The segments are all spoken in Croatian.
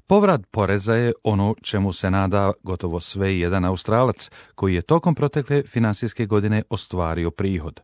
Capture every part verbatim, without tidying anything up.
Povrat poreza je ono čemu se nada gotovo sve jedan Australac koji je tokom protekle finansijske godine ostvario prihod.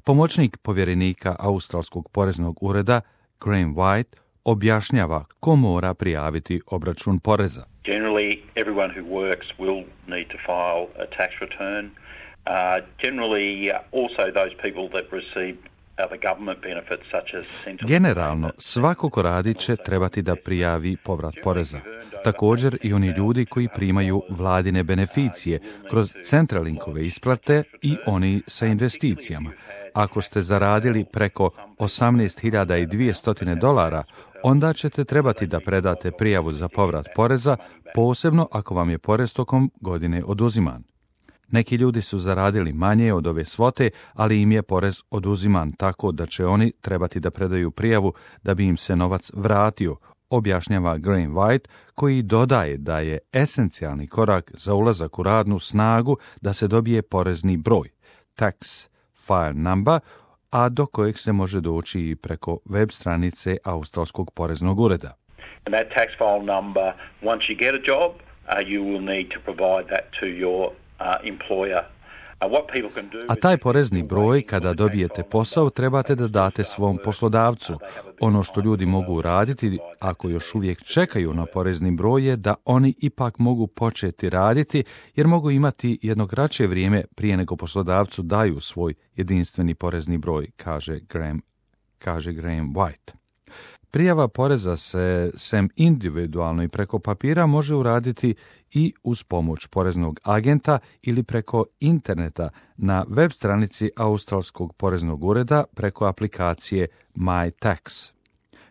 Pomoćnik povjerenika Australskog poreznog ureda Graham White objašnjava ko mora prijaviti obračun poreza. Generally, everyone who works will need to file a tax return. Uh, generally, also those people that receive other government benefits such as central... Generalno, svako ko radi će trebati da prijavi povrat poreza. Također i oni ljudi koji primaju vladine beneficije kroz Centralinkove isplate i oni sa investicijama. Ako ste zaradili preko osamnaest hiljada dvjesto dolara, onda ćete trebati da predate prijavu za povrat poreza, posebno ako vam je porez tokom godine oduziman. Neki ljudi su zaradili manje od ove svote, ali im je porez oduziman tako da će oni trebati da predaju prijavu da bi im se novac vratio, objašnjava Graham White, koji dodaje da je esencijalni korak za ulazak u radnu snagu da se dobije porezni broj, tax file number, a do kojeg se može doći i preko web stranice Australskog poreznog ureda. And that tax file number, once you get a job, uh, you will need to provide that to your uh, employer. Uh, what people can do... A taj porezni broj, kada dobijete posao, trebate da date svom poslodavcu. Ono što ljudi mogu raditi, ako još uvijek čekaju na porezni broj, je da oni ipak mogu početi raditi, jer mogu imati jedno kraće vrijeme prije nego poslodavcu daju svoj jedinstveni porezni broj, kaže Graham, kaže Graham White. Prijava poreza se sem individualno i preko papira može uraditi i uz pomoć poreznog agenta ili preko interneta na web stranici Australskog poreznog ureda preko aplikacije MyTax.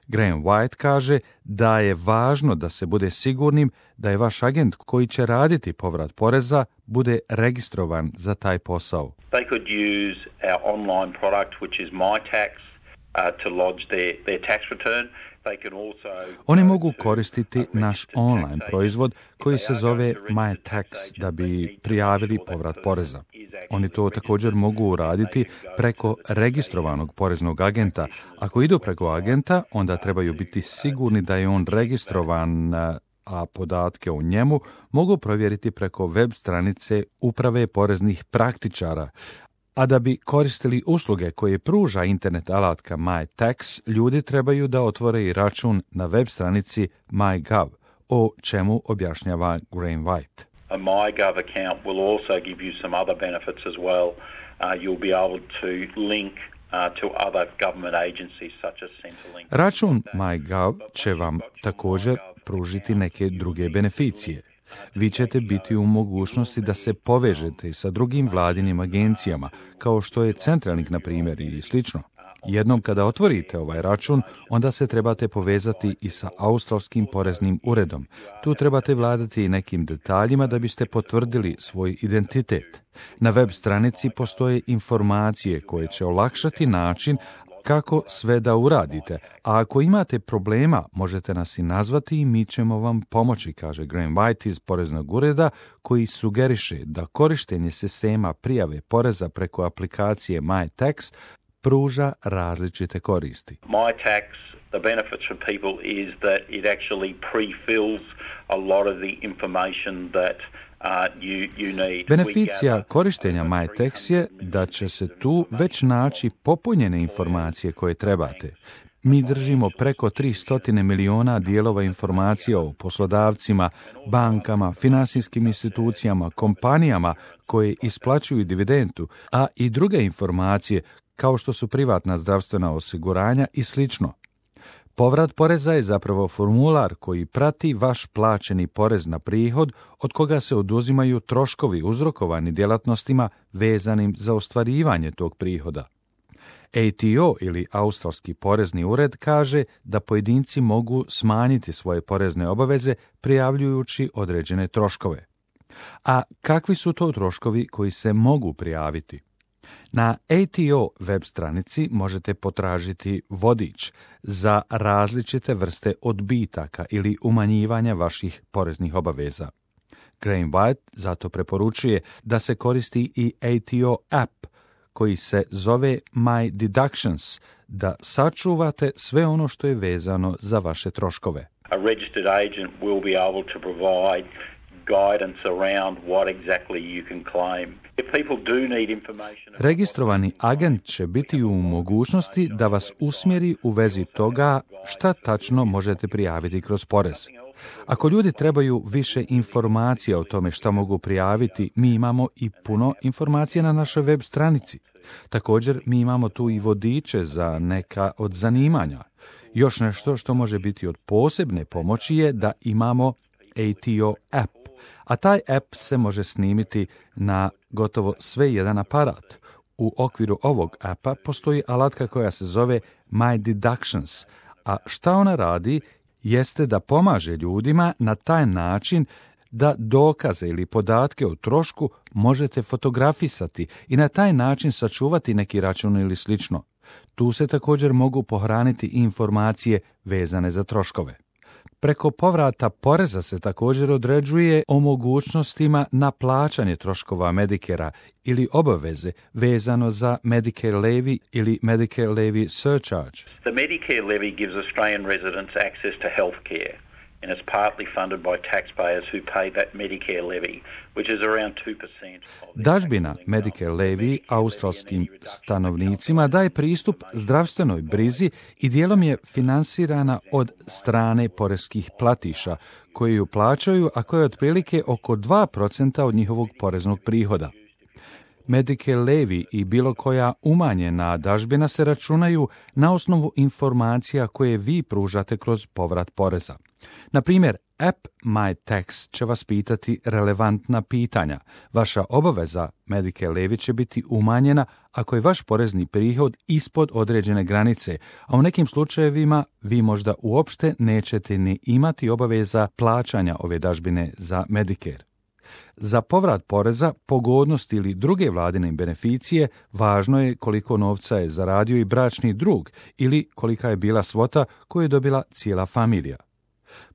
Graham White kaže da je važno da se bude sigurnim da je vaš agent koji će raditi povrat poreza bude registrovan za taj posao. They could use our online product, which is MyTax, uh, to lodge their, their tax return. Oni mogu koristiti naš online proizvod koji se zove MyTax da bi prijavili povrat poreza. Oni to također mogu uraditi preko registrovanog poreznog agenta. Ako idu preko agenta, onda trebaju biti sigurni da je on registrovan, a podatke o njemu mogu provjeriti preko web stranice Uprave poreznih praktičara. A da bi koristili usluge koje pruža internet alatka MyTax, ljudi trebaju da otvore i račun na web stranici MyGov, o čemu objašnjava Graham White. A MyGov account will also give you some other benefits as well. Uh, you'll be able to link uh, to other government agencies such as Centrelink. Račun MyGov će vam također pružiti neke druge beneficije. Vi ćete biti u mogućnosti da se povežete sa drugim vladinim agencijama, kao što je Centralink, na primjer, i slično. Jednom kada otvorite ovaj račun, onda se trebate povezati i sa Australskim poreznim uredom. Tu trebate vladati nekim detaljima da biste potvrdili svoj identitet. Na web stranici postoje informacije koje će olakšati način kako sve da uradite, a ako imate problema, možete nas i nazvati i mi ćemo vam pomoći, kaže Graham White iz poreznog ureda, koji sugeriše da korištenje sistema prijave poreza preko aplikacije MyTax pruža različite koristi. MyTax, the benefits for people is that it actually pre-fills a lot of the information that Uh, you, you need. Beneficija korištenja MyTax je da će se tu već naći popunjene informacije koje trebate. Mi držimo preko tristo miliona dijelova informacija o poslodavcima, bankama, finansijskim institucijama, kompanijama koje isplaćuju dividendu, a i druge informacije kao što su privatna zdravstvena osiguranja i slično. Povrat poreza je zapravo formular koji prati vaš plaćeni porez na prihod od koga se oduzimaju troškovi uzrokovani djelatnostima vezanim za ostvarivanje tog prihoda. A T O ili Australski porezni ured kaže da pojedinci mogu smanjiti svoje porezne obaveze prijavljujući određene troškove. A kakvi su to troškovi koji se mogu prijaviti? Na A T O web stranici možete potražiti vodič za različite vrste odbitaka ili umanjivanja vaših poreznih obaveza. Graham White zato preporučuje da se koristi i A T O app koji se zove My Deductions, da sačuvate sve ono što je vezano za vaše troškove. A registered agent will be able to provide guidance around what exactly you can claim. If people do need information... Registrovani agent će biti u mogućnosti da vas usmjeri u vezi toga šta tačno možete prijaviti kroz porez. Ako ljudi trebaju više informacija o tome šta mogu prijaviti, mi imamo i puno informacija na našoj web stranici. Također, mi imamo tu i vodiče za neka od zanimanja. Još nešto što može biti od posebne pomoći je da imamo A T O app, a taj app se može snimiti na gotovo sve jedan aparat. U okviru ovog appa postoji alatka koja se zove My Deductions, a šta ona radi jeste da pomaže ljudima na taj način da dokaze ili podatke o trošku možete fotografisati i na taj način sačuvati neki račun ili slično. Tu se također mogu pohraniti informacije vezane za troškove. Preko povrata poreza se također određuje o mogućnostima na plaćanje troškova Medicare-a ili obaveze vezano za Medicare levy ili Medicare levy surcharge. The Medicare levy gives Australian residents access to health care, and it's partly funded by taxpayers who pay that Medicare levy, which is around two percent. Dažbina Medicare levy australskim stanovnicima daje pristup zdravstvenoj brizi i dijelom je finansirana od strane poreskih platiša koji ju plaćaju, a koje je otprilike oko dva procenta od njihovog poreznog prihoda. Medicare levy i bilo koja umanjena dažbina se računaju na osnovu informacija koje vi pružate kroz povrat poreza. Na primjer, app My Tax će vas pitati relevantna pitanja. Vaša obaveza Medicare levy će biti umanjena ako je vaš porezni prihod ispod određene granice, a u nekim slučajevima vi možda uopšte nećete ni imati obaveza plaćanja ove dažbine za Medicare. Za povrat poreza, pogodnost ili druge vladine beneficije važno je koliko novca je zaradio i bračni drug ili kolika je bila svota koju je dobila cijela familija.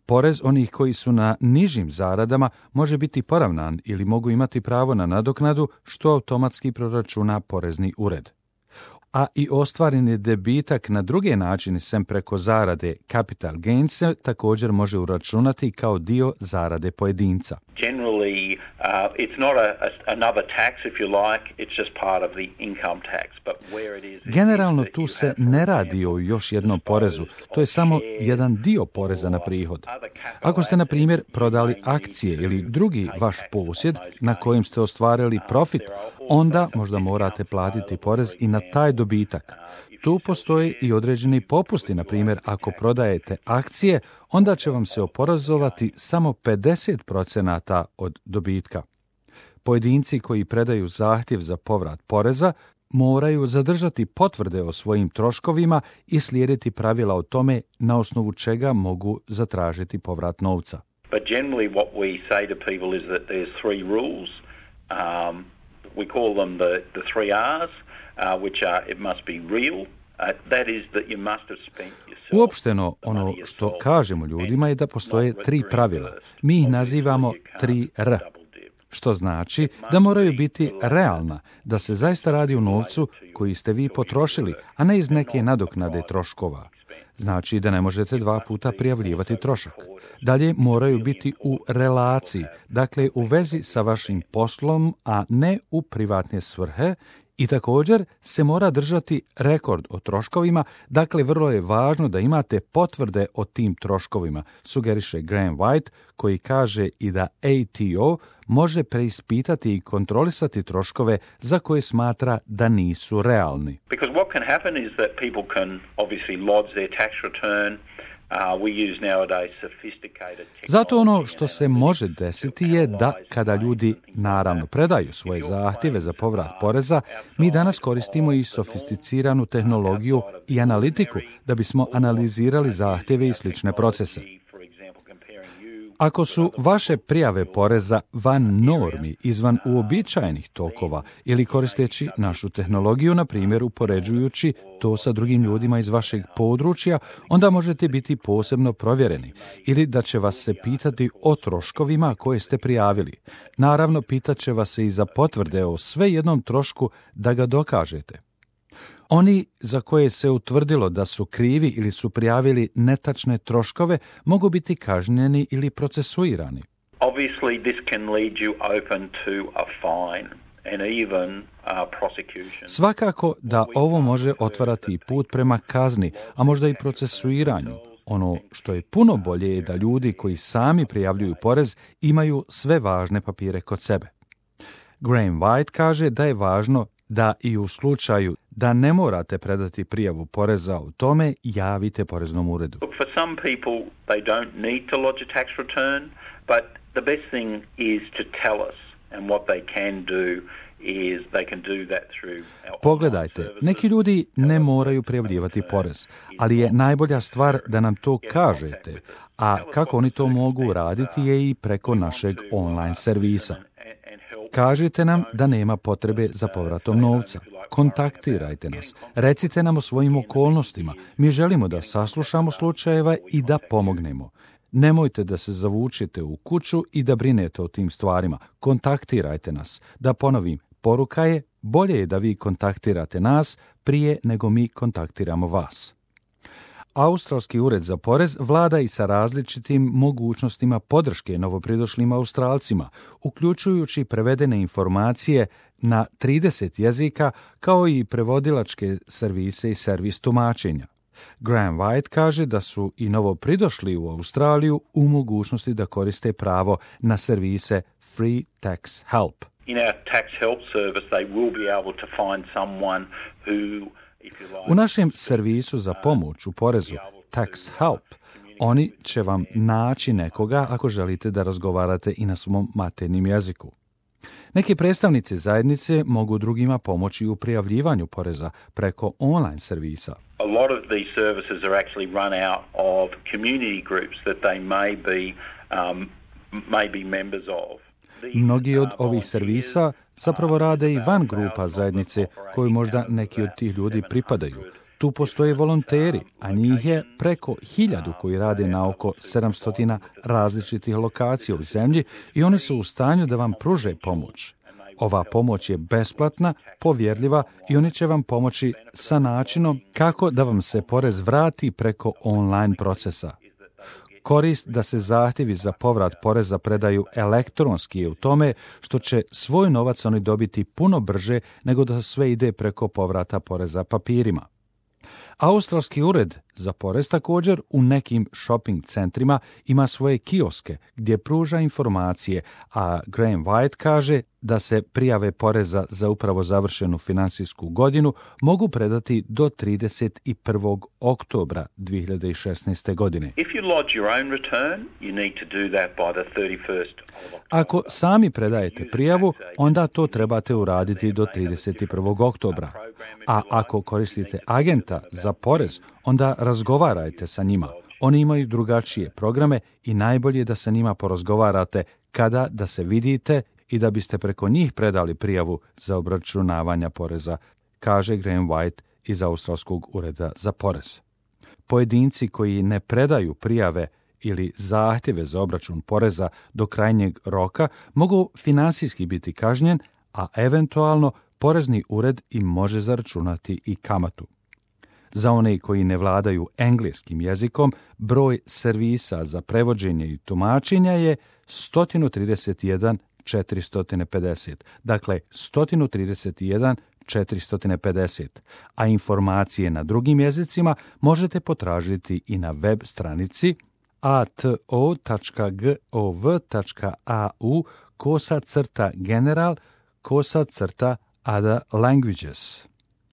Porez onih koji su na nižim zaradama može biti poravnan ili mogu imati pravo na nadoknadu što automatski proračuna porezni ured. A i ostvareni debitak na druge načine sem preko zarade capital gains se također može uračunati kao dio zarade pojedinca. Generally, uh, it's not a, a, another tax, if you like, it's just part of the income tax. But where it is, Generalno tu se ne radi o još jednom porezu, to je samo jedan dio poreza na prihod. Ako ste, na primjer, prodali akcije ili drugi vaš posjed na kojem ste ostvarili profit, onda možda morate platiti porez i na taj dobitak. Tu postoje i određeni popusti, na primjer, ako prodajete akcije, onda će vam se oporezovati samo pedeset procenata od dobitka. Pojedinci koji predaju zahtjev za povrat poreza moraju zadržati potvrde o svojim troškovima i slijediti pravila o tome na osnovu čega mogu zatražiti povrat novca. But generally what we say to people is that there's three rules. Um, we call them the, the three R's, uh, which are it must be real. Uh, that is that you must have spent yourself. Uopšteno ono što kažemo ljudima je da postoje tri pravila. Mi ih nazivamo tri R. Što znači da moraju biti realna, da se zaista radi o novcu koji ste vi potrošili, a ne iz neke nadoknade troškova. Znači da ne možete dva puta prijavljivati trošak. Dalje moraju biti u relaciji, dakle u vezi sa vašim poslom, a ne u privatne svrhe. I također se mora držati rekord o troškovima, dakle vrlo je važno da imate potvrde o tim troškovima, sugeriše Graham White, koji kaže i da A T O može preispitati i kontrolisati troškove za koje smatra da nisu realni. Because what can happen is that people can obviously lodge their tax return. Uh, we use nowadays sophisticated technology. Zato ono što se može desiti je da kada ljudi naravno predaju svoje zahtjeve za povrat poreza, mi danas koristimo i sofisticiranu tehnologiju i analitiku da bismo analizirali zahtjeve i slične procese. Ako su vaše prijave poreza van normi, izvan uobičajenih tokova ili koristeći našu tehnologiju, na primjer upoređujući to sa drugim ljudima iz vašeg područja, onda možete biti posebno provjereni ili da će vas se pitati o troškovima koje ste prijavili. Naravno, pitat će vas se i za potvrde o sve jednom trošku da ga dokažete. Oni za koje se utvrdilo da su krivi ili su prijavili netačne troškove mogu biti kažnjeni ili procesuirani. Obviously this can lead you open to a fine and even uh, prosecution. Svakako da ovo može otvarati put prema kazni, a možda i procesuiranju. Ono što je puno bolje je da ljudi koji sami prijavljuju porez imaju sve važne papire kod sebe. Graham White kaže da je važno da i u slučaju da ne morate predati prijavu poreza o tome, javite poreznom uredu. Look, for some people they don't need to lodge a tax return, but the best thing is to tell us, and what they can do is they can do that through our Pogledajte, neki ljudi ne moraju prijavljivati porez, ali je najbolja stvar da nam to kažete, a kako oni to mogu uraditi je i preko našeg online servisa. Kažite nam da nema potrebe za povratom novca. Kontaktirajte nas. Recite nam o svojim okolnostima. Mi želimo da saslušamo slučajeva i da pomognemo. Nemojte da se zavučete u kuću i da brinete o tim stvarima. Kontaktirajte nas. Da ponovim, poruka je, bolje je da vi kontaktirate nas prije nego mi kontaktiramo vas. Australski ured za porez vlada i sa različitim mogućnostima podrške novopridošlim Australcima, uključujući prevedene informacije na trideset jezika, kao i prevodilačke servise i servis tumačenja. Graham White kaže da su i novopridošli u Australiju u mogućnosti da koriste pravo na servise Free Tax Help. In our tax help service they will be able to find someone who U našem servisu za pomoć u porezu Tax Help, oni će vam naći nekoga ako želite da razgovarate i na svom maternjem jeziku. Neki predstavnici zajednice mogu drugima pomoći u prijavljivanju poreza preko online servisa. A lot of these services are actually run out of community groups that they may be um, may be members of. Mnogi od ovih servisa zapravo rade i van grupa zajednice koju možda neki od tih ljudi pripadaju. Tu postoje volonteri, a njih je preko hiljadu koji rade na oko sedamsto različitih lokacija u zemlji i oni su u stanju da vam pruže pomoć. Ova pomoć je besplatna, povjerljiva i oni će vam pomoći sa načinom kako da vam se porez vrati preko online procesa. Korist da se zahtjevi za povrat poreza predaju elektronski je u tome što će svoj novac oni dobiti puno brže nego da sve ide preko povrata poreza papirima. Australski ured za porez također u nekim shopping centrima ima svoje kioske gdje pruža informacije, a Graham White kaže da se prijave poreza za upravo završenu financijsku godinu mogu predati do trideset prvog oktobra dvije hiljade šesnaeste. godine. If you lodge your own return, you need to do that by the thirty-first of October. Ako sami predajete prijavu, onda to trebate uraditi do trideset prvog oktobra. A ako koristite agenta za porez, onda razgovarajte sa njima. Oni imaju drugačije programe i najbolje je da sa njima porazgovarate kada da se vidite i da biste preko njih predali prijavu za obračunavanje poreza, kaže Graham White iz Australskog ureda za porez. Pojedinci koji ne predaju prijave ili zahtjeve za obračun poreza do krajnjeg roka mogu finansijski biti kažnjen, a eventualno porezni ured im može zaračunati i kamatu. Za one koji ne vladaju engleskim jezikom, broj servisa za prevođenje i tumačenja je sto trideset jedan četiristo pedeset, dakle sto trideset jedan četiristo pedeset, a informacije na drugim jezicima možete potražiti i na web stranici a t o tačka gov tačka a u kosa crta general kosa crta other languages.